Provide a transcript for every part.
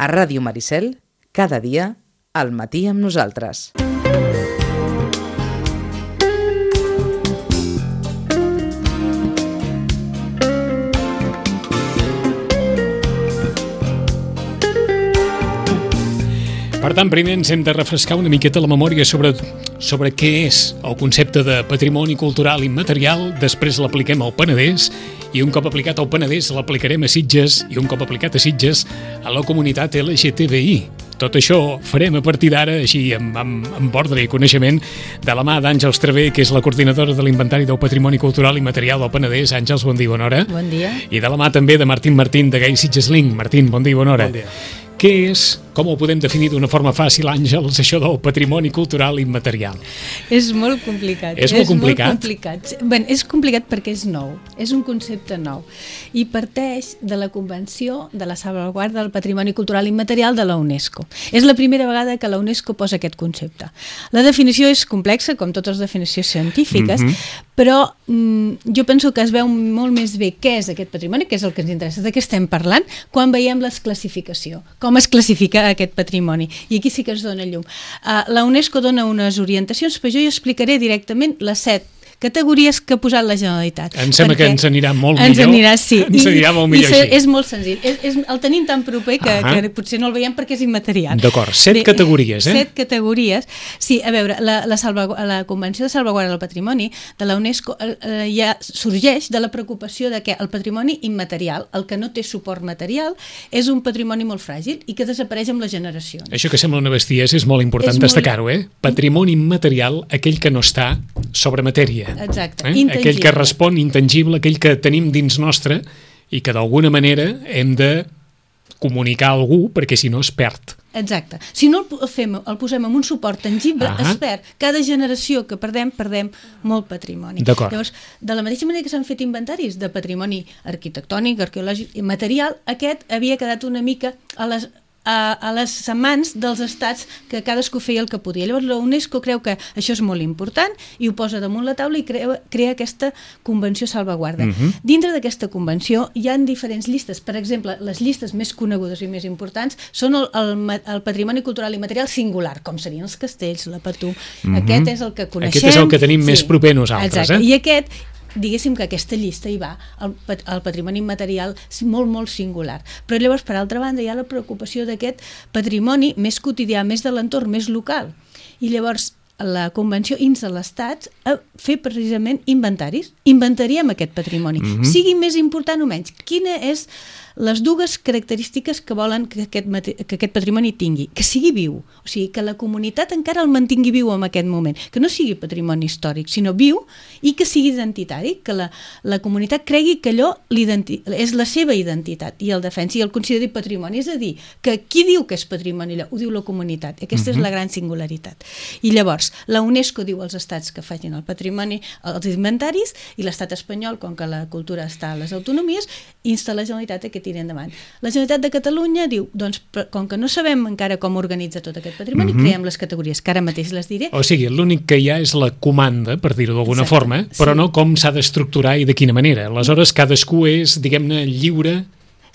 A Ràdio Maricel, cada dia, al matí amb nosaltres. Per tant, primer ens hem de refrescar una miqueta la memòria sobre què és el concepte de patrimoni cultural immaterial, després l'apliquem al Penedès, i un cop aplicat al Penedès l'aplicarem a Sitges, i un cop aplicat a Sitges a la comunitat LGTBI. Tot això farem a partir d'ara, així amb ordre i coneixement, de la mà d'Àngels Travé, que és la coordinadora de l'Inventari del Patrimoni Cultural Immaterial del Penedès. Àngels, bon dia, bona hora. Bon dia. I de la mà també de Martín de Gai Sitges Link. Martín, bon dia, bona hora. Bon dia. Què és, com ho podem definir d'una forma fàcil, Àngels, això del patrimoni cultural immaterial? És molt complicat. És molt complicat? Molt complicat. Bé, és complicat perquè és nou, és un concepte nou i parteix de la Convenció de la Salvaguarda del Patrimoni Cultural Immaterial de la UNESCO. És la primera vegada que la UNESCO posa aquest concepte. La definició és complexa, com totes les definicions científiques, però jo penso que es veu molt més bé què és aquest patrimoni, que és el que ens interessa, de què estem parlant, quan veiem la classificació, com es classifica aquest patrimoni. I aquí sí que es dona llum. La UNESCO dona unes orientacions, però jo hi explicaré directament les 7 categories que ha posat la Generalitat. Em sembla que ens anirà molt millor. Ens anirà, sí. Ens anirà molt millor així. És molt senzill. El tenim tan proper que potser no el veiem perquè és immaterial. D'acord, 7 categories, 7 categories. Sí, a veure, la Convenció de Salvaguarda del Patrimoni de la UNESCO ja sorgeix de la preocupació de que el patrimoni immaterial, el que no té suport material, és un patrimoni molt fràgil i que desapareix amb les generacions. Això que sembla una bestiesa és molt important destacar-ho, Patrimoni immaterial, aquell que no està sobre matèria. Exacte, intangible. Aquell que respon intangible, aquell que tenim dins nostre i que d'alguna manera hem de comunicar a algú perquè si no es perd. Exacte. Si no el posem en un suport tangible, es perd. Cada generació que perdem molt patrimoni. D'acord. Llavors, de la mateixa manera que s'han fet inventaris de patrimoni arquitectònic, arqueològic i material, aquest havia quedat una mica a les mans dels estats que cadascú feia el que podia. Llavors la UNESCO creu que això és molt important i ho posa damunt la taula i crea aquesta Convenció Salvaguarda. Dintre d'aquesta convenció hi ha diferents llistes. Per exemple, les llistes més conegudes i més importants són el patrimoni cultural immaterial singular, com serien els castells, la Patum. Aquest és el que coneixem. Aquest és el que tenim més proper nosaltres. Exacte. I aquest, diguéssim que aquesta llista hi va, el patrimoni immaterial molt, molt singular. Però llavors, per altra banda, hi ha la preocupació d'aquest patrimoni més quotidià, més de l'entorn, més local. I llavors, la Convenció insta l'Estat a fer precisament inventaris. Inventariem aquest patrimoni, sigui més important o menys. Quina és les dues característiques que volen que aquest patrimoni tingui? Que sigui viu, o sigui, que la comunitat encara el mantingui viu en aquest moment, que no sigui patrimoni històric, sinó viu i que sigui identitari, que la comunitat cregui que allò és la seva identitat i el defensi i el consideri patrimoni. És a dir, que qui diu que és patrimoni allò? Ho diu la comunitat. Aquesta és la gran singularitat. I llavors, la UNESCO diu als estats que facin el patrimoni, els inventaris, i l'estat espanyol, com que la cultura està a les autonomies, insta la Generalitat a que tiri endavant. La Generalitat de Catalunya diu, doncs, com que no sabem encara com organitza tot aquest patrimoni, creem les categories, que ara mateix les diré. O sigui, l'únic que hi ha és la comanda, per dir-ho d'alguna forma, però no com s'ha d'estructurar i de quina manera. Aleshores, cadascú és, diguem-ne, lliure.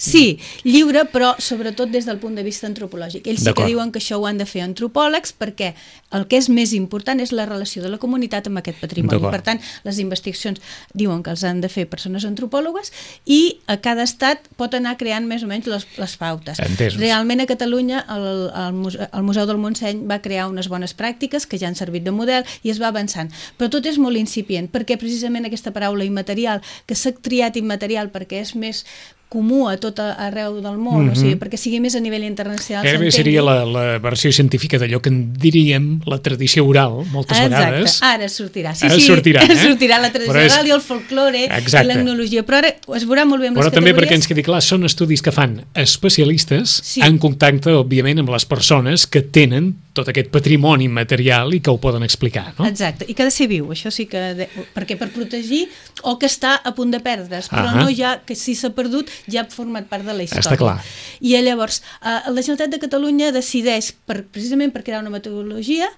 Sí, lliure, però sobretot des del punt de vista antropològic. Ells sí que diuen que això ho han de fer antropòlegs perquè el que és més important és la relació de la comunitat amb aquest patrimoni. Per tant, les investigacions diuen que els han de fer persones antropòlogues i a cada estat pot anar creant més o menys les pautes. Entesos. Realment a Catalunya el Museu del Montseny va crear unes bones pràctiques que ja han servit de model i es va avançant. Però tot és molt incipient perquè precisament aquesta paraula immaterial, que s'ha triat immaterial perquè és més comú a tot arreu del món, o sigui, perquè sigui més a nivell internacional. Gairebé seria la versió científica d'allò que en diríem la tradició oral, moltes vegades. Exacte, ara sortirà. Ara sortirà, sortirà la tradició oral i el folklore i l'etnologia, però ara es veurà molt bé amb les categories. Però també perquè ens quedi clar, són estudis que fan especialistes en contacte, òbviament, amb les persones que tenen tot aquest patrimoni material i que ho poden explicar, no? Exacte, i que ha de ser viu, això sí que... perquè per protegir o que està a punt de perdre's, però no ja que si s'ha perdut ja ha format part de la història. Està clar. I llavors, la Generalitat de Catalunya decideix, precisament per crear una metodologia,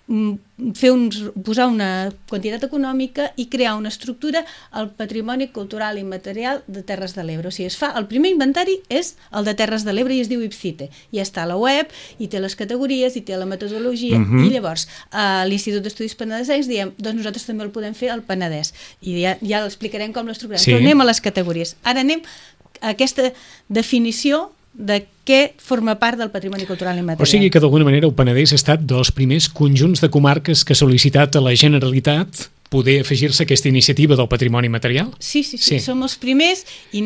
posar una quantitat econòmica i crear una estructura al patrimoni cultural i material de Terres de l'Ebre. O sigui, el primer inventari és el de Terres de l'Ebre i es diu IPCITE. I està a la web, i té les categories, i té la metodologia, i llavors a l'Institut d'Estudis Penedesencs diem, doncs nosaltres també el podem fer al Penedès. I ja l'explicarem com l'estructurem. Sí. Però anem a les categories. Ara anem a aquesta definició de què forma part del patrimoni cultural i material. O sigui que d'alguna manera el Penedès ha estat dels primers conjunts de comarques que ha sol·licitat a la Generalitat poder afegir-se a aquesta iniciativa del patrimoni material? Sí, som els primers i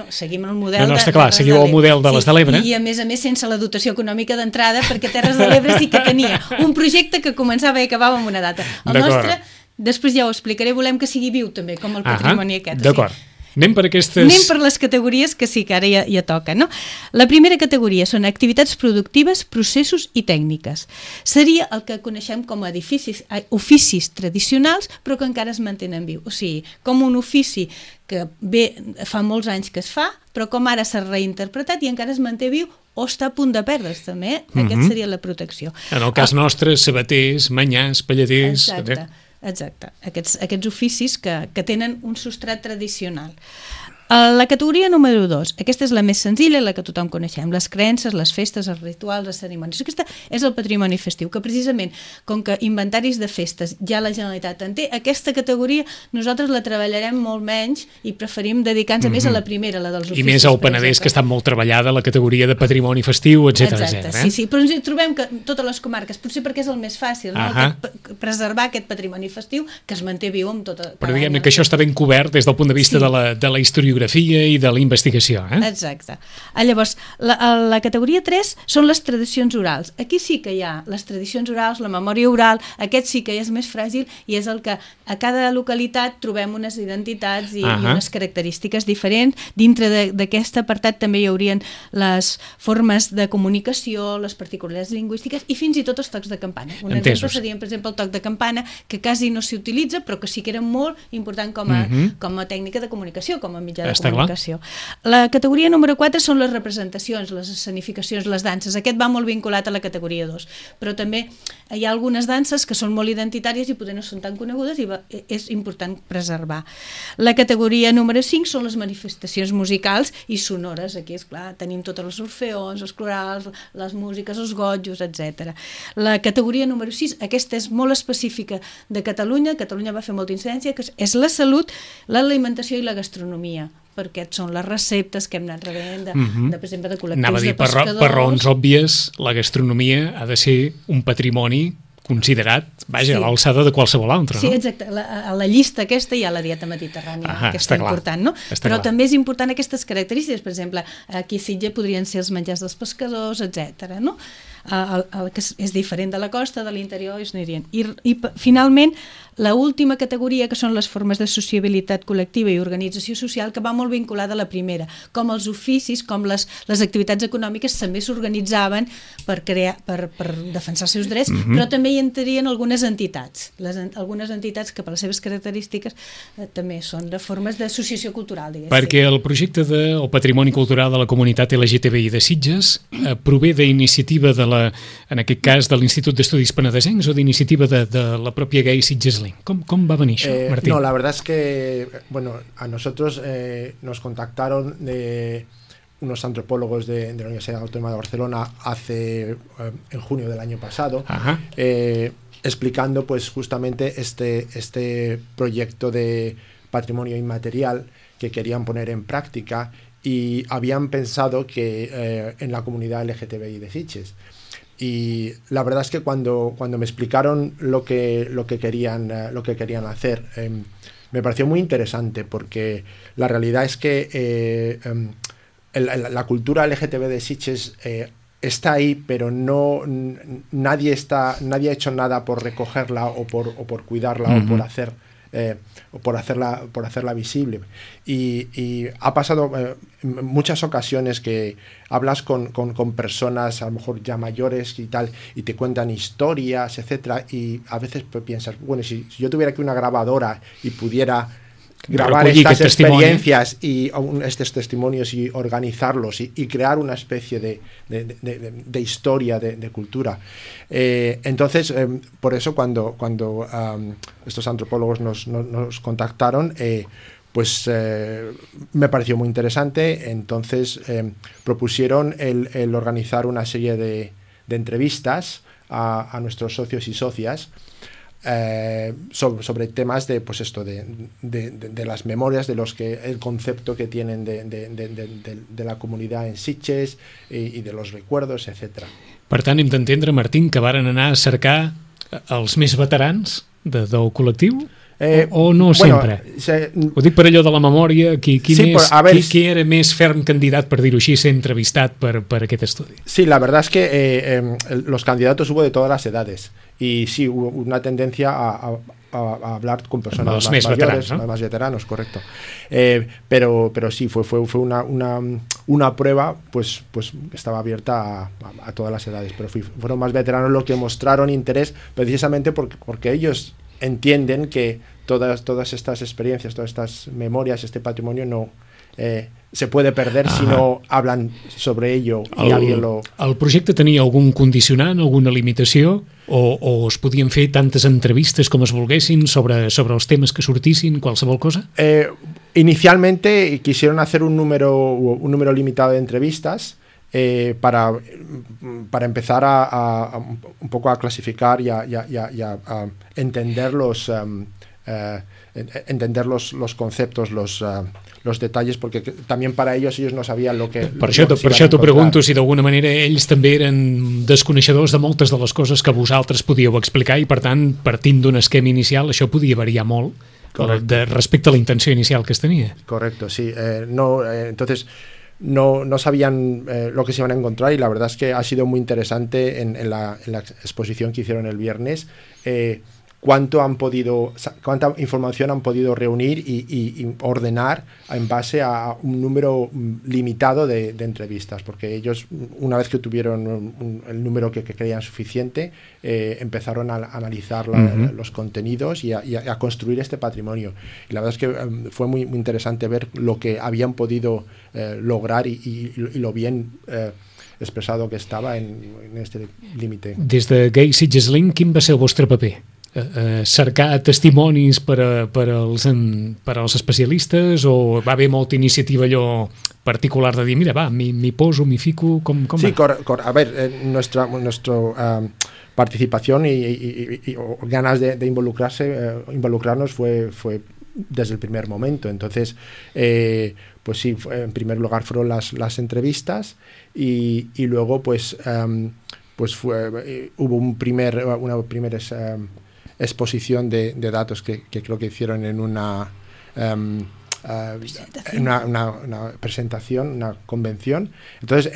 seguim el model està clar, seguiu el model de les de l'Ebre. I a més sense la dotació econòmica d'entrada, perquè Terres de l'Ebre sí que tenia un projecte que començava i acabava amb una data. El nostre, després ja ho explicaré, volem que sigui viu també, com el patrimoni aquest. D'acord. Anem per les categories que sí que ara ja toca, no? La primera categoria són activitats productives, processos i tècniques. Seria el que coneixem com a oficis tradicionals, però que encara es mantenen viu. O sigui, com un ofici que fa molts anys que es fa, però com ara s'ha reinterpretat i encara es manté viu o està a punt de perdre's també. Aquesta seria la protecció. En el cas nostre, sabaters, manyars, palladers... Exacte. Aquests oficis que tenen un substrat tradicional. La categoria número 2, aquesta és la més senzilla, la que tothom coneixem, les creences, les festes, els rituals, les cerimònies. Aquesta és el patrimoni festiu, que precisament, com que inventaris de festes ja la Generalitat en té, aquesta categoria nosaltres la treballarem molt menys i preferim dedicar-nos més a la primera, la dels oficis. I més al Penedès, que està molt treballada la categoria de patrimoni festiu, etc. Exacte, sí, però ens trobem que totes les comarques, potser perquè és el més fàcil, preservar aquest patrimoni festiu que es manté viu amb tota... Però diguem-ne que això està ben cobert des del punt de vista de la historiografia i de la investigació. Exacte. Llavors, la categoria 3 són les tradicions orals. Aquí sí que hi ha les tradicions orals, la memòria oral, aquest sí que és més fràgil i és el que a cada localitat trobem unes identitats i unes característiques diferents. Dintre d'aquest apartat també hi haurien les formes de comunicació, les particularitats lingüístiques i fins i tot els tocs de campana. Un exemple seria, per exemple, el toc de campana, que quasi no s'hi utilitza, però que sí que era molt important com a tècnica de comunicació, com a mitjà de comunicació. La categoria número 4 són les representacions, les escenificacions, les danses. Aquest va molt vinculat a la categoria 2, però també hi ha algunes danses que són molt identitàries i potser no són tan conegudes i és important preservar. La categoria número 5 són les manifestacions musicals i sonores. Aquí, esclar, tenim totes els orfeons, els corals, les músiques, els gotjos, etc. La categoria número 6, aquesta és molt específica de Catalunya. Catalunya va fer molta incidència, que és la salut, l'alimentació i la gastronomia, perquè són les receptes que hem anat rebent per exemple, de col·lectius de pescadors. Per raons òbvies, la gastronomia ha de ser un patrimoni considerat, a l'alçada de qualsevol altre, no? Sí, exacte. A la llista aquesta hi ha la dieta mediterrània, que està important, no? Però també és important aquestes característiques. Per exemple, aquí a Sitges podrien ser els menjars dels pescadors, etc. No? El que és diferent de la costa, de l'interior, es anirien. I finalment, l'última categoria, que són les formes de sociabilitat col·lectiva i organització social, que va molt vinculada a la primera, com els oficis, com les activitats econòmiques també s'organitzaven per defensar els seus drets, però també hi entrarien algunes entitats, algunes entitats que per les seves característiques també són de formes d'associació cultural, diguéssim. Perquè el projecte del patrimoni cultural de la comunitat LGTBI de Sitges prové d'iniciativa en aquest cas de l'Institut d'Estudis Penedesencs o d'iniciativa de la pròpia Gay Sitges Link. ¿Cómo va a venir eso, Martín? No, la verdad es que, a nosotros nos contactaron de unos antropólogos de la Universidad Autónoma de Barcelona en junio del año pasado, explicando pues justamente este proyecto de patrimonio inmaterial que querían poner en práctica y habían pensado que en la comunidad LGTBI de Sitges. Y la verdad es que cuando me explicaron lo que querían hacer, me pareció muy interesante, porque la realidad es que la cultura LGTB de Sitges está ahí, pero nadie ha hecho nada por recogerla o por cuidarla o por hacerla visible. Y ha pasado en muchas ocasiones que hablas con personas a lo mejor ya mayores y tal, y te cuentan historias, etcétera, y a veces piensas, bueno, si yo tuviera aquí una grabadora y pudiera grabar estas experiencias y estos testimonios y organizarlos y crear una especie de historia, de cultura. Entonces, por eso cuando estos antropólogos nos contactaron, pues me pareció muy interesante. Entonces propusieron el organizar una serie de entrevistas a nuestros socios y socias sobre temas de pues esto de las memorias, de los que el concepto que tienen de la comunitat en Sitges i de los recuerdos, etc. Per tant, hem d'entendre, Martín, que varen anar a cercar els més veterans del col·lectiu? O no sempre? Ho dic per allò de la memòria, qui era més ferm candidat, per dir-ho així, ser entrevistat per aquest estudi? Sí, la verdad es que los candidatos hubo de todas las edades y sí, hubo una tendencia a hablar con personas más mayores, más veteranos, correcto. Pero sí, fue una prueba pues estaba abierta a todas las edades, pero fueron más veteranos los que mostraron interés precisamente porque ellos entienden que todas estas experiencias, todas estas memorias, este patrimonio no se puede perder si no hablan sobre ello i alguien lo... El projecte tenia algun condicionant, alguna limitació, o es podien fer tantes entrevistes com es volguessin sobre els temes que sortissin, qualsevol cosa? Inicialmente quisieron hacer un número limitado de entrevistas para empezar a un poco a clasificar y a entender los conceptos, los detalles, porque también para ellos no sabían lo que... Per això t'ho pregunto, si d'alguna manera ells també eren desconeixedors de moltes de les coses que vosaltres podíeu explicar i, per tant, partint d'un esquema inicial, això podia variar molt respecte a la intenció inicial que es tenia. Correcto, sí. Entonces... No sabían lo que se iban a encontrar y la verdad es que ha sido muy interesante en la exposición que hicieron el viernes cuánta información han podido reunir y ordenar en base a un número limitado de entrevistas, porque ellos, una vez que tuvieron el número que creían suficiente, empezaron a analizar los contenidos y a construir este patrimonio. Y la verdad es que fue muy interesante ver lo que habían podido lograr y lo bien expressado que estava en este límite. Des de Gai Sitges Link, quin va ser el vostre paper? Cercar testimonis per als especialistes, o va haver molta iniciativa allò particular de dir, mira, va, m'hi poso, m'hi fico, com sí, a ver, nuestra participación y ganas de involucrarnos fue desde el primer momento. Entonces, pues sí, en primer lugar fueron las entrevistas y luego pues hubo una primera exposición de datos que creo que hicieron en una presentación, una convención. Entonces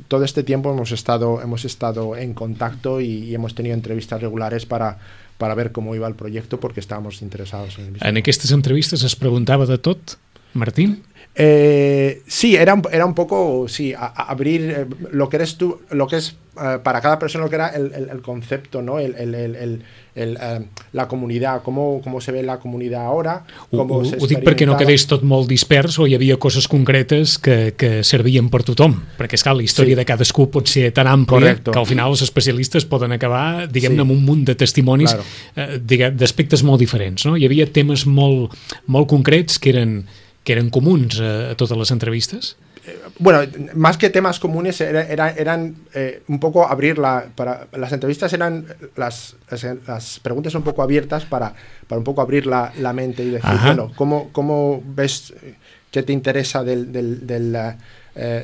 todo este tiempo hemos estado en contacto y hemos tenido entrevistas regulares para ver cómo iba el proyecto, porque estábamos interesados en el mismo. En aquestes entrevistes es preguntava de tot, Martín? Sí, era un poco abrir lo que eres tú, lo que es para cada persona, lo que era el concepto, ¿no? La comunidad, cómo se ve la comunidad ahora, ho dic perquè no quedés tot molt dispers, o hi havia coses concretes que servien per tothom, perquè esclar, la història de cadascú pot ser tan àmplia que al final els especialistes poden acabar, diguem-ne, amb un munt de testimonis d'aspectes molt diferents, no? Hi havia temes molt concrets que eren comuns a totes les entrevistes? Bueno, más que temas comunes eran un poco abrir para las entrevistas eran las preguntas un poco abiertas para un poco abrir la mente y decir, bueno, ¿cómo ves, qué te interesa de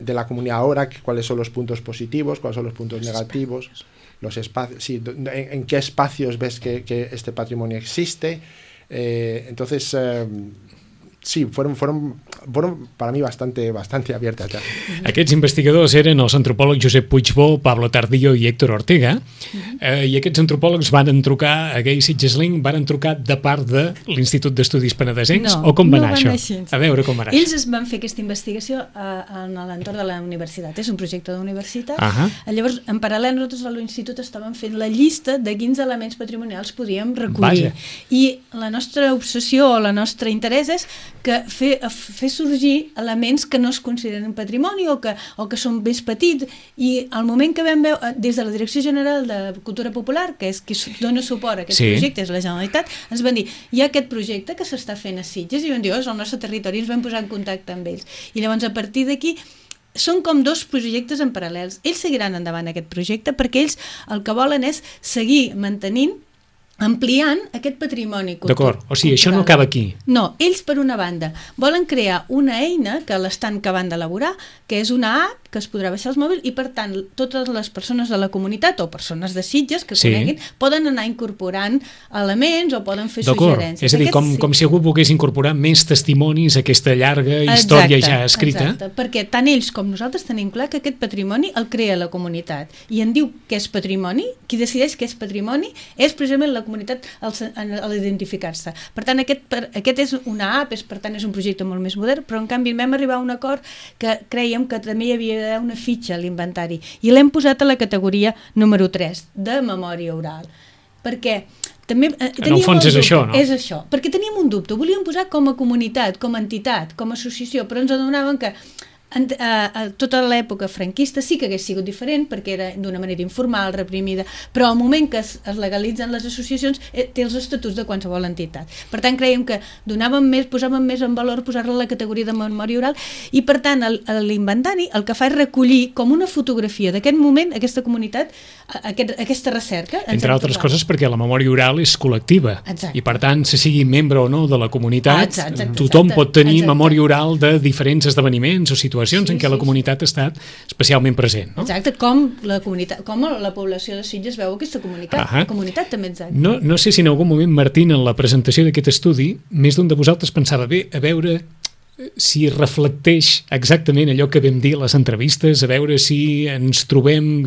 la comunidad ahora, cuáles son los puntos positivos, cuáles son los puntos negativos, los espacios, sí, en qué espacios ves que este patrimonio existe. Entonces sí, fueron fueron para mí bastante abiertas ya. Aquests investigadors eren els antropòlegs Josep Puigbó, Pablo Tardillo i Héctor Ortega, i aquests antropòlegs van trucar a Gay Sitges Link, van trucar de part de l'Institut d'Estudis Penedesencs, o com va anar això? A veure com va anar. Ells es van fer aquesta investigació en l'entorn de la universitat, és un projecte d'universitat. Llavors, en paral·lel, nosaltres a l'Institut estàvem fent la llista de quins elements patrimonials podíem recollir. I la nostra obsessió o la nostra interès és que fer sorgir elements que no es consideren patrimoni o que són més petits, i al moment que vam veure des de la Direcció General de Cultura Popular, que és qui dona suport a aquest projecte, és la Generalitat, ens van dir, hi ha aquest projecte que s'està fent a Sitges, i vam dir, és el nostre territori, i ens vam posar en contacte amb ells. I llavors a partir d'aquí són com dos projectes en paral·lels. Ells seguiran endavant aquest projecte perquè ells el que volen és seguir mantenint, ampliant aquest patrimoni cultural. D'acord, o sigui, això no acaba aquí. No, ells per una banda volen crear una eina que l'estan acabant d'elaborar, que és una app que es podrà baixar als mòbils, i per tant totes les persones de la comunitat o persones de Sitges que coneguin poden anar incorporant elements o poden fer suggerències. És a dir, com si algú volgués incorporar més testimonis a aquesta llarga història ja escrita. Exacte, perquè tant ells com nosaltres tenim clar que aquest patrimoni el crea la comunitat i en diu que és patrimoni. Qui decideix que és patrimoni és precisament la comunitat a l'identificar-se. Per tant, aquest és una app, per tant és un projecte molt més modern, però en canvi vam arribar a un acord que creiem que també hi havia una fitxa a l'inventari i l'hem posat a la categoria número 3 de memòria oral, perquè també en el fons és això, no? És això, perquè teníem un dubte, ho volíem posar com a comunitat, com a entitat, com a associació, però ens adonaven que a tota l'època franquista sí que hagués sigut diferent perquè era d'una manera informal, reprimida, però al moment que es legalitzen les associacions té els estatuts de qualsevol entitat. Per tant, creiem que posàvem més en valor posar-la a la categoria de memòria oral, i per tant l'inventari el que fa és recollir com una fotografia d'aquest moment, aquesta comunitat, aquesta recerca. Entre altres coses perquè la memòria oral és col·lectiva. Exacte. I per tant, se sigui membre o no de la comunitat, tothom pot tenir memòria oral de diferents esdeveniments o situacions en què la comunitat ha estat especialment present. No? Exacte, com la població de Sitges veu aquesta comunitat. La comunitat també, exacte. No sé si en algun moment, Martín, en la presentació d'aquest estudi, més d'un de vosaltres pensava, a veure si reflecteix exactament allò que vam dir a les entrevistes, a veure si ens trobem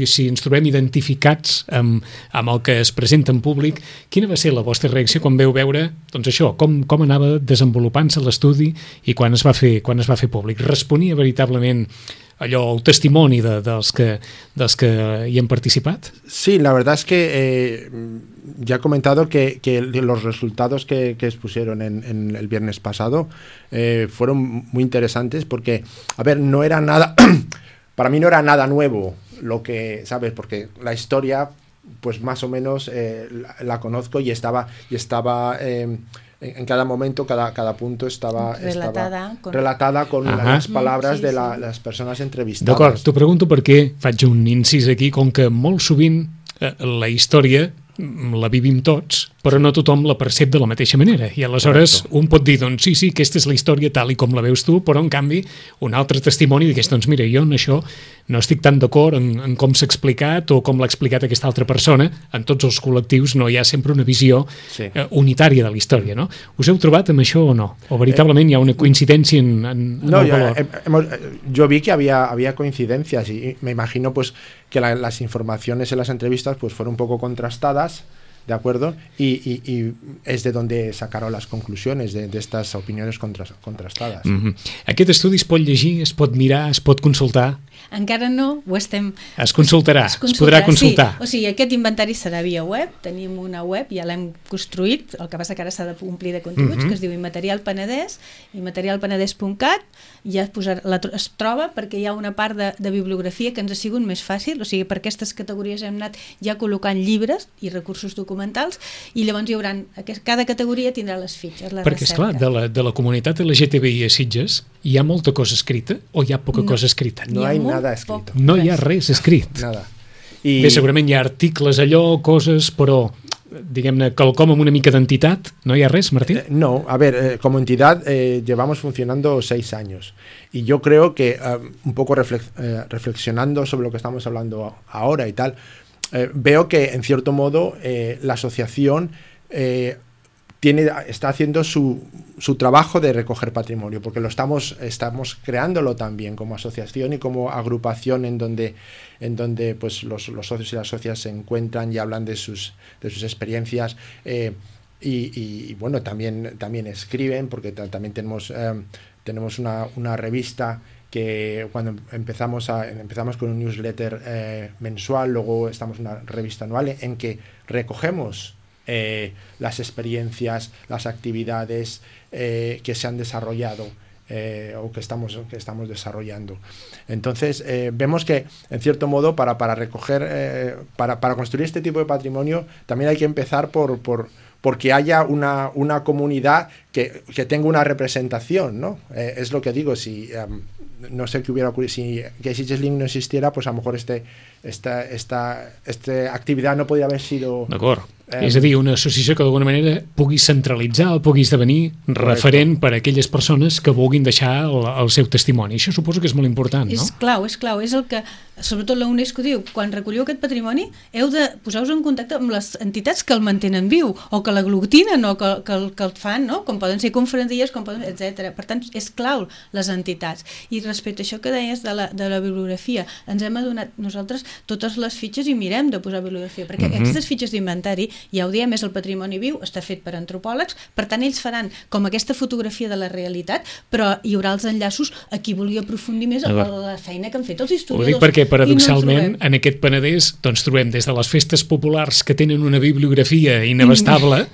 identificats amb el que es presenta en públic. Quina va ser la vostra reacció quan veu veure això, com anava desenvolupant-se l'estudi i quan es va fer públic? Responia veritablement el testimoni dels que hi han participat? Sí, la verdad es que ya he comentado que los resultados que expusieron en el viernes pasado fueron muy interesantes porque, no era nada, para mí no era nada nuevo lo que, ¿sabes? Porque la historia, pues más o menos la conozco y estaba en cada momento, cada punto estava relatada con les paraules de les persones entrevistades. D'acord, t'ho pregunto perquè faig un incís aquí, com que molt sovint la història la vivim tots, però no tothom la percep de la mateixa manera, i aleshores un pot dir, doncs sí, aquesta és la història tal i com la veus tu, però en canvi un altre testimoni digués, doncs mira, jo en això no estic tan d'acord en com s'ha explicat o com l'ha explicat aquesta altra persona. En tots els col·lectius no hi ha sempre una visió unitària de la història, no? Us heu trobat amb això o no? O veritablement hi ha una coincidència en el valor? Yo vi que había coincidencias y me imagino pues que las informaciones en las entrevistas pues fueron un poco contrastadas, ¿de acuerdo? Y es de donde sacaron las conclusiones de estas opiniones contrastadas. Aquest estudi es pot llegir, es pot mirar, es pot consultar? Encara no, ho estem... Es consultarà, es podrà consultar. Sí, o sigui, aquest inventari serà via web, tenim una web, ja l'hem construït, el que passa que ara s'ha de omplir de continguts, que es diu Immaterial Penedès, immaterialpenedès.cat, ja es troba perquè hi ha una part de bibliografia que ens ha sigut més fàcil, o sigui, per aquestes categories hem anat ja col·locant llibres i recursos documentals, i llavors hi haurà, cada categoria tindrà les fitxes, la perquè, esclar, de la comunitat LGTBI a Sitges hi ha molta cosa escrita o hi ha poca cosa escrita? No hi ha nada escrito. No hi ha res escrit. Nada. Bé, segurament hi ha articles allò, coses, però diguem-ne, quelcom amb una mica d'entitat. ¿No hi ha res, Martín? No, como entidad llevamos funcionando 6 años y yo creo que un poco reflexionando sobre lo que estamos hablando ahora y tal, veo que en cierto modo la asociación está haciendo su trabajo de recoger patrimonio, porque estamos creándolo también como asociación y como agrupación en donde pues los socios y las socias se encuentran y hablan de sus experiencias, y bueno, también escriben, porque también tenemos una revista que cuando empezamos con un newsletter mensual, luego estamos en una revista anual en que recogemos las experiencias, las actividades que se han desarrollado o que estamos desarrollando. Entonces vemos que, en cierto modo, para recoger, para construir este tipo de patrimonio, también hay que empezar porque haya una comunidad que tenga una representación, ¿no? Es lo que digo, si no sé qué hubiera ocurrido si Gay Sitges Link no existiera, pues a lo mejor esta activitat no podria haver sido... D'acord. És a dir, una associació que d'alguna manera pugui centralitzar o pugui esdevenir referent per a aquelles persones que vulguin deixar el seu testimoni. Això suposo que és molt important, no? És clau. És el que, sobretot la UNESCO diu, quan recolliu aquest patrimoni heu de posar-vos en contacte amb les entitats que el mantenen viu, o que l'aglutinen, o que el fan, no? Com poden ser conferencies, etc. Per tant, és clau les entitats. I respecte a això que deies de la bibliografia, ens hem adonat nosaltres totes les fitxes i mirem de posar bibliografia, perquè aquestes fitxes d'inventari, ja ho diem, és el patrimoni viu, està fet per antropòlegs, per tant ells faran com aquesta fotografia de la realitat, però hi haurà els enllaços a qui vulgui aprofundir més a la feina que han fet els historiadors. Ho dic perquè, paradoxalment, en aquest Penedès doncs trobem des de les festes populars que tenen una bibliografia inabastable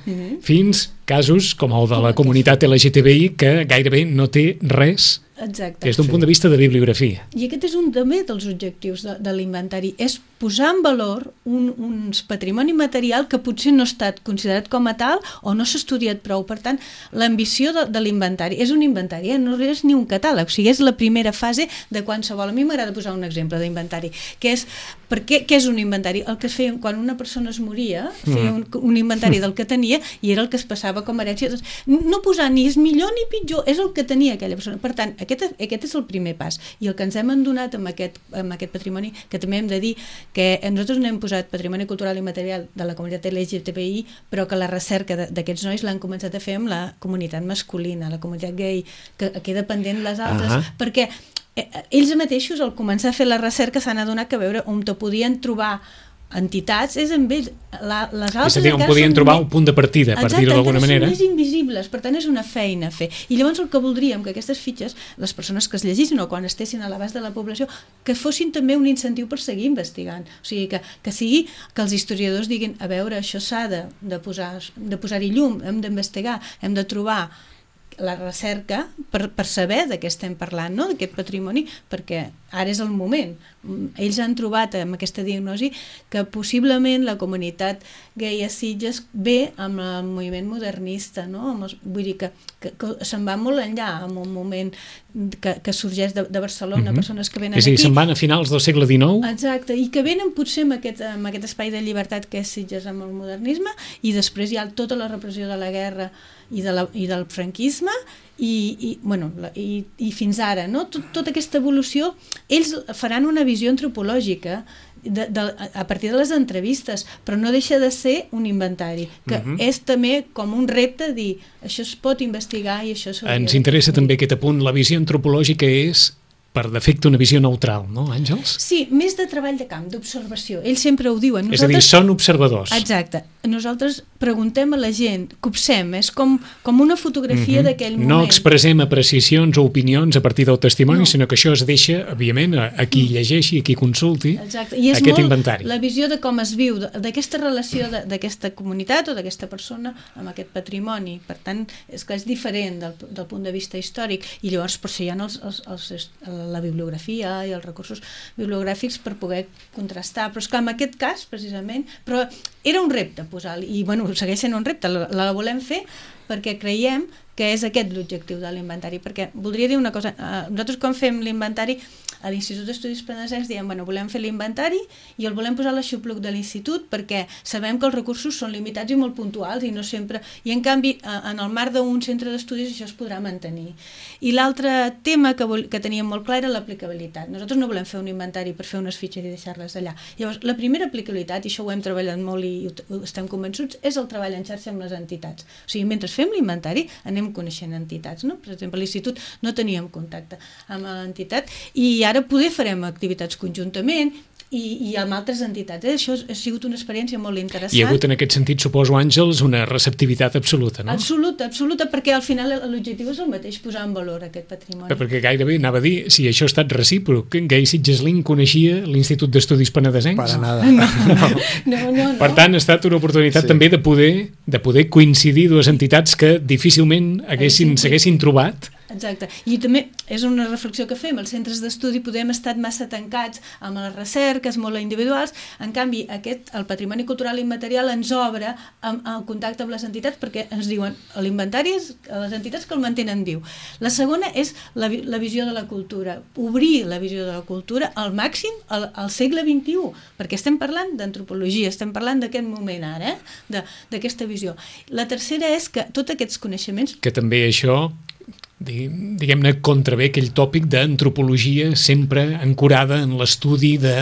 fins casos com el de la comunitat LGTBI que gairebé no té res. Exacte. Des d'un punt de vista de bibliografia. I aquest és un també dels objectius de l'inventari, és posar en valor un patrimoni material que potser no ha estat considerat com a tal o no s'ha estudiat prou. Per tant, l'ambició de l'inventari és un inventari, no és ni un catàleg, o sigui, és la primera fase de qualsevol. A mi m'agrada posar un exemple d'inventari, que és, què és un inventari? El que es feia quan una persona es moria, feia un inventari del que tenia i era el que es passava com a herència. No posar ni és millor ni pitjor, és el que tenia aquella persona. Per tant, aquest és el primer pas, i el que ens hem adonat amb aquest patrimoni, que també hem de dir que nosaltres no hem posat patrimoni cultural i material de la comunitat LGTBI, però que la recerca d'aquests nois l'han començat a fer amb la comunitat masculina, la comunitat gay, que queda pendent les altres, perquè ells mateixos, al començar a fer la recerca, s'han adonat que a veure on te podien trobar entitats és amb ells, les altres... És a dir, on podien trobar un punt de partida, per dir-ho d'alguna manera. Exacte, són més invisibles, per tant és una feina a fer. I llavors el que voldríem, que aquestes fitxes, les persones que es llegissin o quan estessin a l'abast de la població, que fossin també un incentiu per seguir investigant. O sigui, que sigui que els historiadors diguin, a veure, això s'ha de posar-hi llum, hem d'investigar, hem de trobar la recerca per saber de què estem parlant, no? D'aquest patrimoni, perquè ara és el moment. Ells han trobat amb aquesta diagnosi que possiblement la comunitat gay a Sitges ve amb el moviment modernista, no? Vull dir que se'n va molt enllà en un moment que sorgeix de Barcelona, persones que venen aquí. És a dir, se'n van a finals del segle XIX. Exacte, i que venen potser amb aquest espai de llibertat que és Sitges amb el modernisme, i després hi ha tota la repressió de la guerra i del franquisme i fins ara, no? Tota aquesta evolució, ells faran una visió antropològica a partir de les entrevistes, però no deixa de ser un inventari, que és també com un repte dir, això es pot investigar i això s'hauria... Ens interessa també aquest apunt, la visió antropològica és per defecte una visió neutral, no, Àngels? Sí, més de treball de camp, d'observació. Ells sempre ho diuen. És a dir, són observadors. Exacte. Nosaltres preguntem a la gent, copsem, és com una fotografia d'aquell moment. No expressem apreciacions o opinions a partir del testimoni, sinó que això es deixa, òbviament, a qui llegeixi, a qui consulti aquest inventari. La visió de com es viu, d'aquesta relació d'aquesta comunitat o d'aquesta persona amb aquest patrimoni. Per tant, és que és diferent del punt de vista històric, i llavors per això hi ha la bibliografia i els recursos bibliogràfics per poder contrastar, però és que en aquest cas precisament, però era un repte posar-li, i bueno, segueix sent un repte, la volem fer perquè creiem que és aquest l'objectiu de l'inventari, perquè voldria dir una cosa, nosaltres quan fem l'inventari a l'Institut d'Estudis Penedesencs diem, bueno, volem fer l'inventari i el volem posar a l'aixopluc de l'institut perquè sabem que els recursos són limitats i molt puntuals i no sempre... I en canvi, en el marc d'un centre d'estudis això es podrà mantenir. I l'altre tema que teníem molt clar era l'aplicabilitat. Nosaltres no volem fer un inventari per fer unes fitxes i deixar-les allà. Llavors, la primera aplicabilitat, i això ho hem treballat molt i estem convençuts, és el treball en xarxa amb les entitats. O sigui, mentre fem l'inventari anem coneixent entitats, no? Per exemple, a l'institut no teníem contacte amb l'entitat i ara poder farem activitats conjuntament i amb altres entitats. Això ha sigut una experiència molt interessant. Hi ha hagut en aquest sentit, suposo, Àngels, una receptivitat absoluta, no? Absoluta, perquè al final l'objectiu és el mateix, posar en valor aquest patrimoni. Perquè gairebé anava a dir, si això ha estat recíproc, Gai Sitgeslin coneixia l'Institut d'Estudis Penedesencs? Para nada. No. Per tant, ha estat una oportunitat també de poder coincidir dues entitats que difícilment s'haguessin trobat. Exacte, i també és una reflexió que fem, els centres d'estudi podem estar massa tancats amb les recerques molt individuals, en canvi el patrimoni cultural immaterial ens obre el contacte amb les entitats perquè ens diuen, l'inventari és les entitats que el mantenen viu. La segona és la visió de la cultura, obrir la visió de la cultura al màxim al segle XXI, perquè estem parlant d'antropologia, estem parlant d'aquest moment ara, d'aquesta visió. La tercera és que tots aquests coneixements... Que també això... diguem-ne, contravé aquell tòpic d'antropologia sempre ancorada en l'estudi de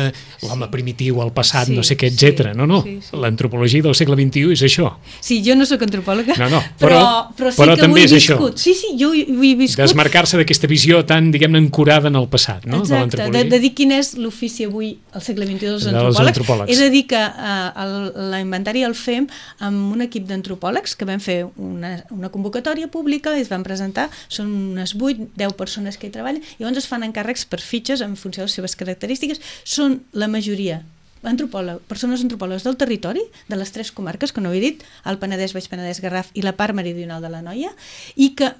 l'home primitiu, el passat, no sé què, etc. No. Sí. L'antropologia del segle XXI és això. Sí, jo no sóc antropòloga, però sí que també és això. Sí, jo ho he viscut. Desmarcar-se d'aquesta visió tan, diguem-ne, ancorada en el passat, no? Exacte, de dir quin és l'ofici avui al segle XXI dels antropòlegs. És a dir, que l'inventari el fem amb un equip d'antropòlegs que vam fer una convocatòria pública i es van presentar, són unes 8-10 persones que hi treballen i llavors es fan encàrrecs per fitxes en funció de les seves característiques. Són la majoria persones antropòlogues del territori, de les 3 comarques que no he dit, el Penedès, Baix Penedès, Garraf i la part meridional de l'Anoia, i que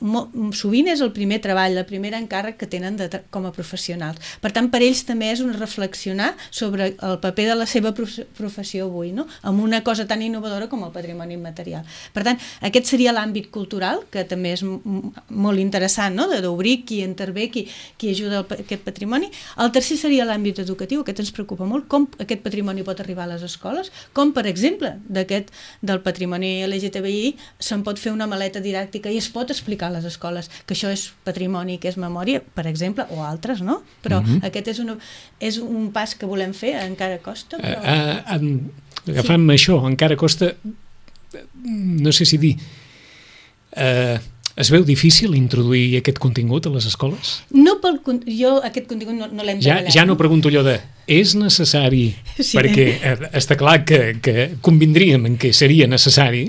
sovint és el primer treball, el primer encàrrec que tenen com a professionals. Per tant, per ells també és un reflexionar sobre el paper de la seva professió avui, no? Amb una cosa tan innovadora com el patrimoni immaterial. Per tant, aquest seria l'àmbit cultural, que també és molt interessant, no? D'obrir qui intervé, qui ajuda aquest patrimoni. El tercer seria l'àmbit educatiu, aquest ens preocupa molt, com aquest patrimoni pot arribar a les escoles, com per exemple del patrimoni LGTBI se'n pot fer una maleta didàctica i es pot explicar a les escoles que això és patrimoni, que és memòria, per exemple, o altres, no? Però aquest és un pas que volem fer, encara costa. Agafant això, encara costa, no sé si dir... Es veu difícil introduir aquest contingut a les escoles? Jo aquest contingut no l'hem treballat. Ja no pregunto allò de és necessari, perquè està clar que convindríem en què seria necessari,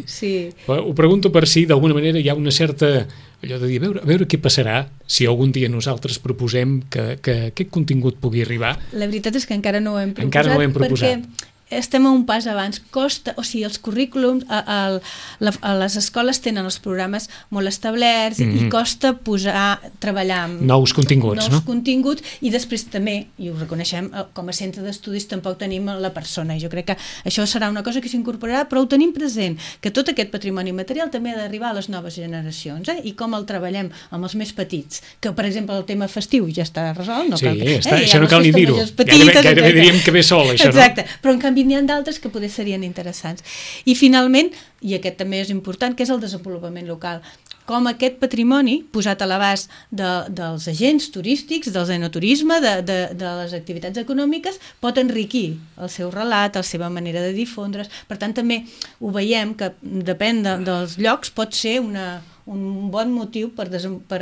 però ho pregunto per si d'alguna manera hi ha una certa allò de dir, a veure què passarà si algun dia nosaltres proposem que aquest contingut pugui arribar. La veritat és que encara no ho hem proposat. Perquè estem a un pas abans. Costa, o sigui, els currículums a les escoles tenen els programes molt establerts i costa treballar amb nous continguts, i després també, i ho reconeixem, com a centre d'estudis tampoc tenim la persona, i jo crec que això serà una cosa que s'incorporarà, però ho tenim present, que tot aquest patrimoni material també ha d'arribar a les noves generacions, i com el treballem amb els més petits, que per exemple el tema festiu ja està resolt, això no cal ni dir-ho, gairebé diríem que ve sol, això, no? Exacte, però en canvi n'hi ha d'altres que poder serien interessants. I finalment, i aquest també és important, que és el desenvolupament local. Com aquest patrimoni, posat a l'abast dels agents turístics, del enoturisme, de les activitats econòmiques, pot enriquir el seu relat, la seva manera de difondre's. Per tant, també ho veiem que depèn dels llocs, pot ser un bon motiu per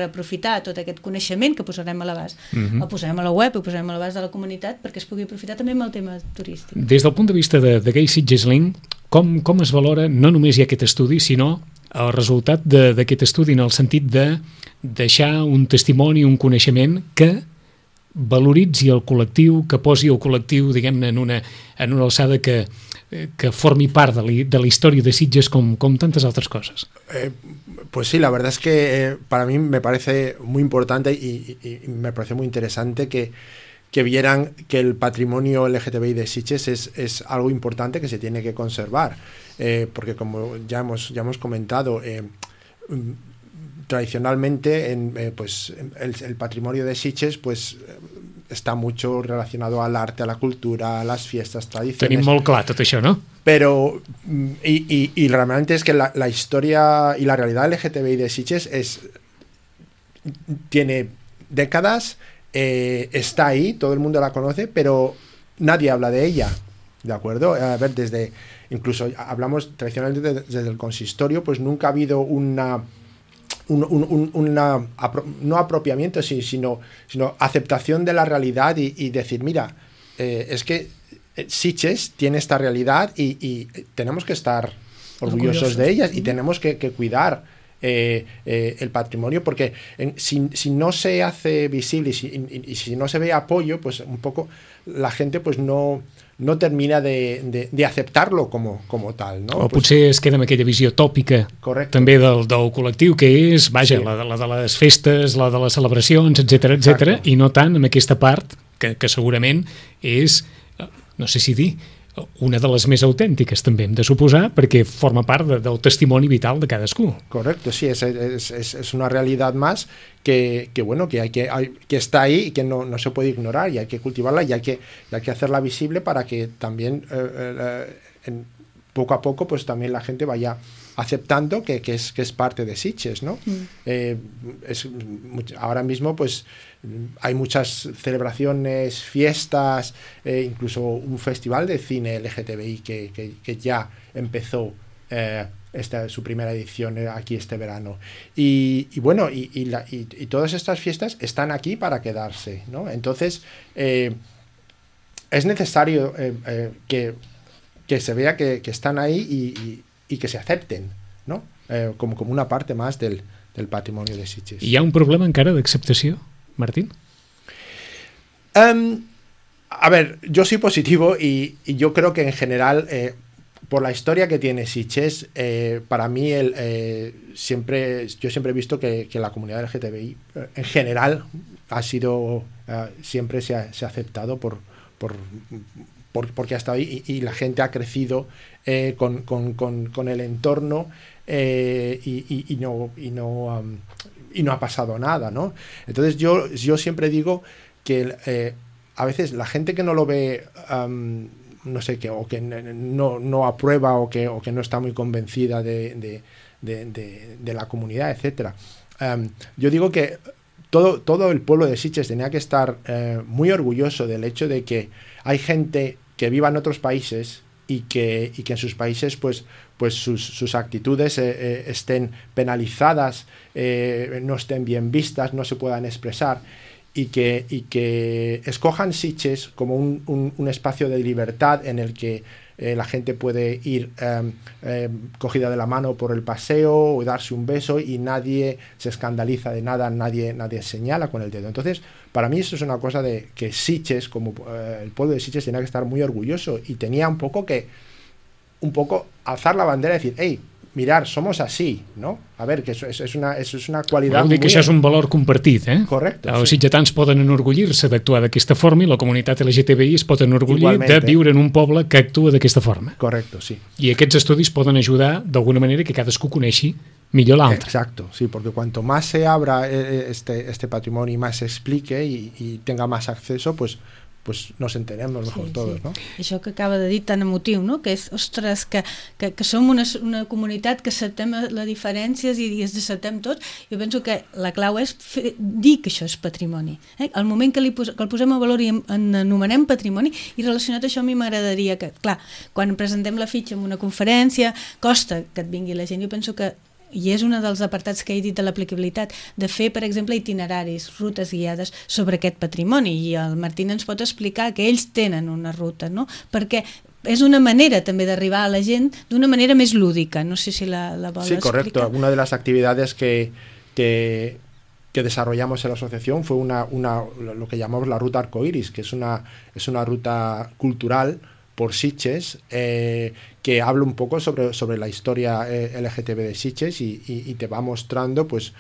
aprofitar tot aquest coneixement que posarem a l'abast. El posarem a la web, ho posarem a l'abast de la comunitat perquè es pugui aprofitar també amb el tema turístic. Des del punt de vista de Gai Sitgeslin, com es valora no només hi ha aquest estudi, sinó el resultat d'aquest estudi en el sentit de deixar un testimoni, un coneixement que valoritzi el col·lectiu, que posi el col·lectiu, diguem-ne, en una alçada que formi part de la història de Sitges com tantes altres coses. Pues sí, la verdad es que para mí me parece muy importante y me parece muy interesante que vieran que el patrimonio LGTBI de Sitges es algo importante que se tiene que conservar, porque como ya hemos comentado, tradicionalmente pues el patrimonio de Sitges pues está mucho relacionado al arte, a la cultura, a las fiestas, tradiciones. Tenim molt clar tot això, no? Pero, y realmente es que la historia y la realidad LGTBI de Sitges tiene décadas, está ahí, todo el mundo la conoce, pero nadie habla de ella, ¿de acuerdo? A ver, incluso hablamos tradicionalmente desde el consistorio, pues nunca ha habido no apropiamiento, sino aceptación de la realidad y decir, mira, es que Sitges tiene esta realidad y tenemos que estar orgullosos de ellas y tenemos que cuidar el patrimonio, porque si no se hace visible y si no se ve apoyo, pues un poco la gente pues no termina de aceptarlo como tal, no? O potser es queda amb aquella visió tòpica. Correcte. També del col·lectiu, que és, vaja, sí, la de les festes, la de les celebracions, etc, i no tant amb aquesta part que segurament és, no sé si dir, una de les més autèntiques també hem de suposar, perquè forma part del testimoni vital de cadascú. Correcto, sí, es una realidad más que está ahí y que no se puede ignorar, y hay que cultivarla y hay que hacerla visible para que también poco a poco pues también la gente vaya aceptando que es parte de Sitges, ¿no? Ahora mismo pues hay muchas celebraciones, fiestas, incluso un festival de cine LGTBI que ya empezó su primera edición aquí este verano. Y bueno, y todas estas fiestas están aquí para quedarse, ¿no? Entonces es necesario que se vea que están ahí y que se acepten, ¿no? Como una parte más del patrimonio de Sitges. Hi ha un problema encara d'acceptació, Martín? A ver, yo soy positivo y yo creo que en general, por la historia que tiene Sitges, para mí yo siempre he visto que la comunidad LGTBI en general ha sido, siempre se ha aceptado porque ha estado ahí y la gente ha crecido con el entorno y no ha pasado nada, ¿no? Entonces yo siempre digo que a veces la gente que no lo ve, no sé qué, o que no aprueba o que no está muy convencida de la comunidad, etcétera, yo digo que todo el pueblo de Sitges tenía que estar muy orgulloso del hecho de que hay gente que viva en otros países y que en sus países pues sus actitudes estén penalizadas, no estén bien vistas, no se puedan expresar, y que escojan Sitges como un espacio de libertad en el que la gente puede ir cogida de la mano por el paseo o darse un beso y nadie se escandaliza de nada, nadie señala con el dedo. Entonces, para mí eso es una cosa de que Sitges, como el pueblo de Sitges, tenía que estar muy orgulloso y tenía un poco alzar la bandera y decir, hey, mirar, somos así, ¿no? A ver, que eso es una qualitat... Vol dir que això és un valor compartit, eh? Correcte. Els sitgetans poden enorgullir-se d'actuar d'aquesta forma i la comunitat LGTBI es pot enorgullir de viure en un poble que actua d'aquesta forma. Correcto, sí. I aquests estudis poden ajudar d'alguna manera que cadascú coneixi millor l'altre. Exacto, sí, porque cuanto más se abra este patrimonio y más se explique y tenga más acceso, pues nos enteremos mejor todos, no? Això que acaba de dir tan emotiu, no? Que és, ostres, que som una comunitat que acceptem les diferències i ens acceptem tots. Jo penso que la clau és dir que això és patrimoni. Al moment que el posem a valor i en anomenem patrimoni, i relacionat a això a mi m'agradaria que, clar, quan presentem la fitxa en una conferència, costa que et vingui la gent. Jo penso que i és un dels apartats que he dit de l'aplicabilitat, de fer, per exemple, itineraris, rutes guiades sobre aquest patrimoni, i el Martín ens pot explicar que ells tenen una ruta, no? Perquè és una manera també d'arribar a la gent d'una manera més lúdica, no sé si la vol explicar. Sí, correcto. Una de las actividades que desarrollamos en la asociación fue lo que llamamos la ruta arcoiris, que es una ruta cultural por Sitges, que habla un poco sobre la historia LGTB de Sitges y te va mostrando pues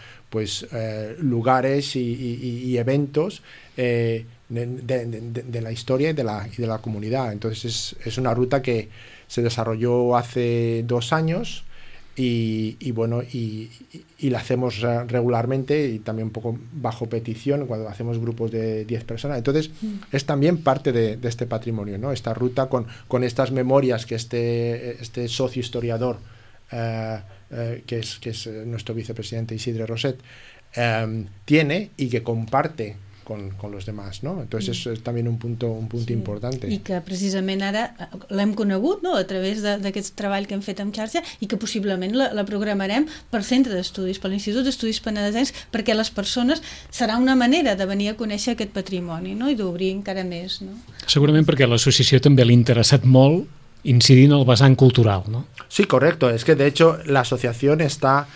lugares y eventos de la historia y de la comunidad. Entonces es una ruta que se desarrolló hace 2 años y bueno, y la hacemos regularmente y también un poco bajo petición cuando hacemos grupos de 10 personas. Entonces es también parte de este patrimonio, ¿no? Esta ruta con estas memorias que este socio historiador que es nuestro vicepresidente Isidre Roset tiene y que comparte con los demás, no? Entonces és també un punt important. I que precisament ara l'hem conegut, no?, a través d'aquest treball que hem fet amb xarxa i que possiblement la programarem per centre d'estudis, per l'Institut d'Estudis Penedesencs, perquè les persones serà una manera de venir a conèixer aquest patrimoni, no?, i d'obrir encara més, no? Segurament perquè a l'associació també l'ha interessat molt incidir en el vessant cultural, ¿no? Sí, correcto. Es que de hecho la asociación está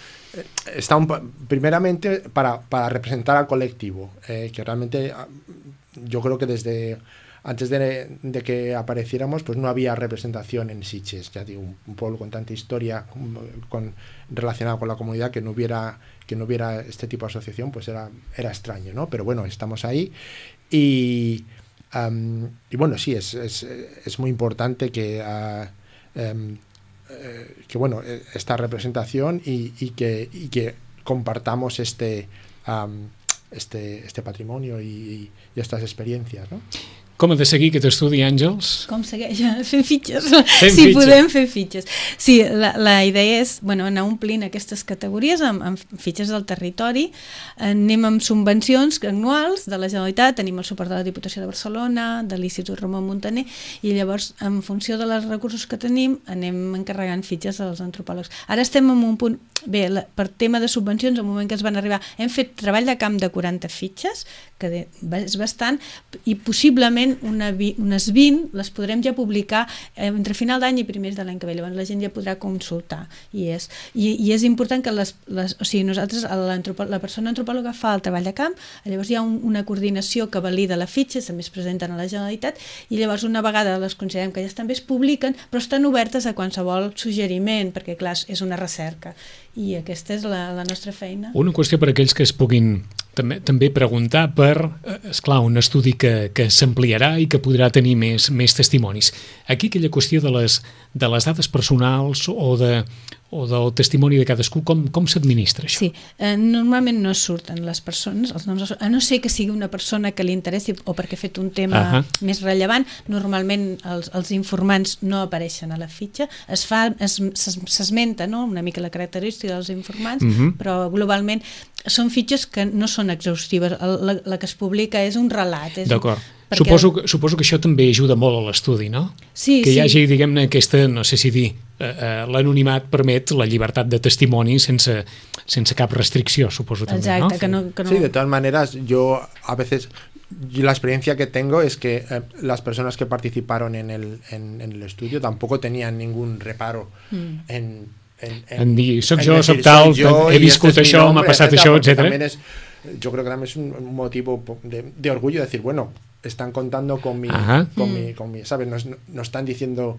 primeramente para representar al colectivo, que realmente yo creo que desde antes de que apareciéramos pues no había representación en Sitges, ya digo, un pueblo con tanta historia relacionada con la comunidad, que no hubiera este tipo de asociación, pues era extraño, ¿no? Pero bueno, estamos ahí y bueno, sí, es muy importante que bueno, esta representación y que compartamos este patrimonio y estas experiencias, ¿no? Com ha de seguir aquest estudi, Àngels? Com segueix? Fent fitxes. Podem fer fitxes. Sí, la idea és anar omplint aquestes categories amb fitxes del territori. Anem amb subvencions anuals de la Generalitat, tenim el suport de la Diputació de Barcelona, de l'Institut Ramon Muntaner, i llavors, en funció dels recursos que tenim, anem encarregant fitxes als antropòlegs. Ara estem en un punt... Bé, per tema de subvencions, al moment que es van arribar, hem fet treball de camp de 40 fitxes, que és bastant, i possiblement unes 20 les podrem ja publicar entre final d'any i primers de l'any que ve. Llavors la gent ja podrà consultar. I és important que o sigui, nosaltres, la persona antropòloga fa el treball de camp, llavors hi ha una coordinació que valida la fitxa, també es presenten a la Generalitat, i llavors una vegada les considerem que ja també es publiquen, però estan obertes a qualsevol suggeriment, perquè clar, és una recerca. I aquesta és la nostra feina. Una qüestió per a aquells que es puguin també preguntar per, esclar, un estudi que s'ampliarà i que podrà tenir més testimonis. Aquí aquella qüestió de les dades personals o del testimoni de cadascú, com s'administra això? Sí, normalment no surten les persones, els noms, a no ser que sigui una persona que li interessi o perquè ha fet un tema més rellevant. Normalment els informants no apareixen a la fitxa, s'esmenta, no?, una mica la característica dels informants, però globalment són fitxes que no són exhaustives. La que es publica és un relat. D'acord. Suposo que això també ajuda molt a l'estudi, no? Sí, que hi hagi, diguem-ne, aquesta, no sé si dir, l'anonimat permet la llibertat de testimoni sense cap restricció, suposo també, ¿no? Exacte, que no... Sí, de todas maneras, yo a veces... la experiencia que tengo es que las personas que participaron en el estudio tampoco tenían ningún reparo en dir, soc jo, soc tal, he viscut això, m'ha passat això, etc. Yo creo que también es un motivo de orgullo decir, bueno, están contando con mi ¿sabes? No están diciendo,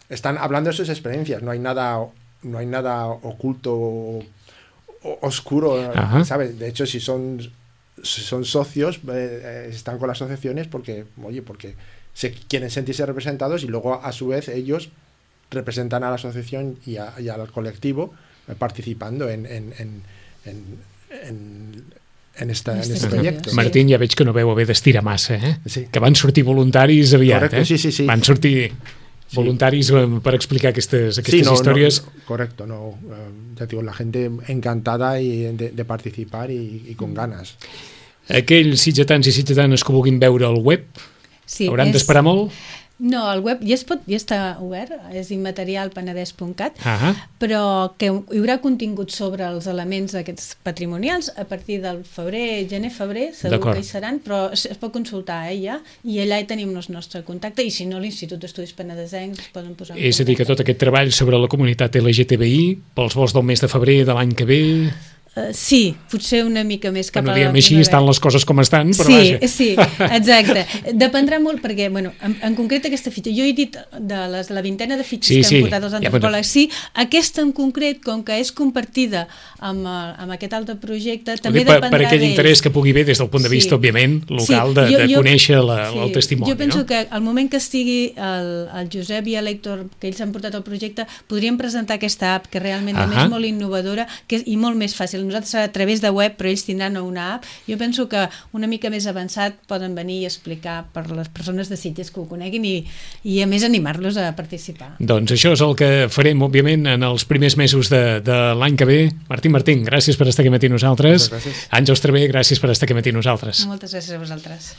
están hablando de sus experiencias, no hay nada oculto o oscuro, ¿sabes? De hecho, si son socios, están con las asociaciones porque se quieren sentirse representados y luego a su vez ellos representan a la asociación y al colectivo participando en este proyecto. Martín, ja veig que no veu haver d'estirar massa, Sí. Que van sortir voluntaris aviat. Correcto, sí. Van sortir voluntaris per explicar aquestes històries. Correcto, ya digo, la gente encantada de participar y con ganas. Aquells sitgetans i sitgetanes que vulguin veure el web, hauran d'esperar molt? No, el web ja està obert, és immaterialpenedès.cat, però que hi haurà contingut sobre els elements aquests patrimonials a partir del gener-febrer, segur que hi seran, però es pot consultar ja, i allà hi tenim el nostre contacte, i si no, l'Institut d'Estudis Penedesencs es poden posar en contacte. És a dir, que tot aquest treball sobre la comunitat LGTBI, pels vols del mes de febrer de l'any que ve... Sí, potser una mica més cap a la primavera. Així estan les coses com estan, però sí, vaja. Sí, exacte. Dependrà molt perquè, bueno, en concret aquesta fitxa, jo he dit de la vintena de fitxes que han portat els antropòlegs, sí, aquesta en concret, com que és compartida amb aquest altre projecte, també dependrà d'ells. Per aquell interès que pugui haver des del punt de vista, òbviament, local, de conèixer el testimoni. Jo penso que al moment que estigui el Josep i l'Hèctor, que ells han portat el projecte, podríem presentar aquesta app, que realment és molt innovadora i molt més fàcil. Nosaltres a través de web, però ells tindran una app. Jo penso que una mica més avançat poden venir i explicar per les persones de Sitges que ho coneguin i a més animar-los a participar. Doncs això és el que farem, òbviament, en els primers mesos de l'any que ve. Martín, gràcies per estar aquí amb nosaltres. Àngels Traver, gràcies per estar aquí amb nosaltres. Moltes gràcies a vosaltres.